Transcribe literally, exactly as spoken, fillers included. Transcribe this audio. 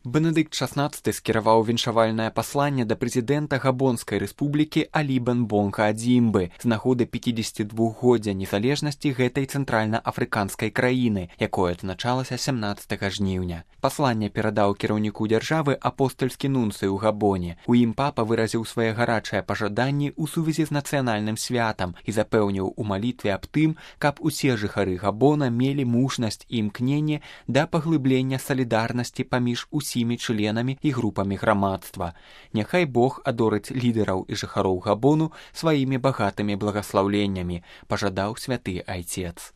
Бенедыкт шаснаццаты скіраваў віншавальнае пасланне да прэзідэнта Габонскай рэспублікі Алі Бонга Адзімбы з нагоды пяцідзесяцідвухгоддзя незалежнасці гэтай цэнтральна-афрыканскай краіны, якое адзначалася сямнаццатага жніўня. Пасланне перадаў кіраўніку дзяржавы апостальскі нунцый у Габоне. У ім папа выразіў свае гарачыя пажаданні ў сувязі з нацыянальным святам і запэўніў у малітве аб тым, каб усе жыхары Габона мелі мужнасць і імкненне да паглыблення салідарнасці паміж усімі членамі і групамі грамадства. Няхай Бог адорыць лідараў і жыхароў Габону сваімі багатымі благаслаўленнямі, пажадаў святы айцец.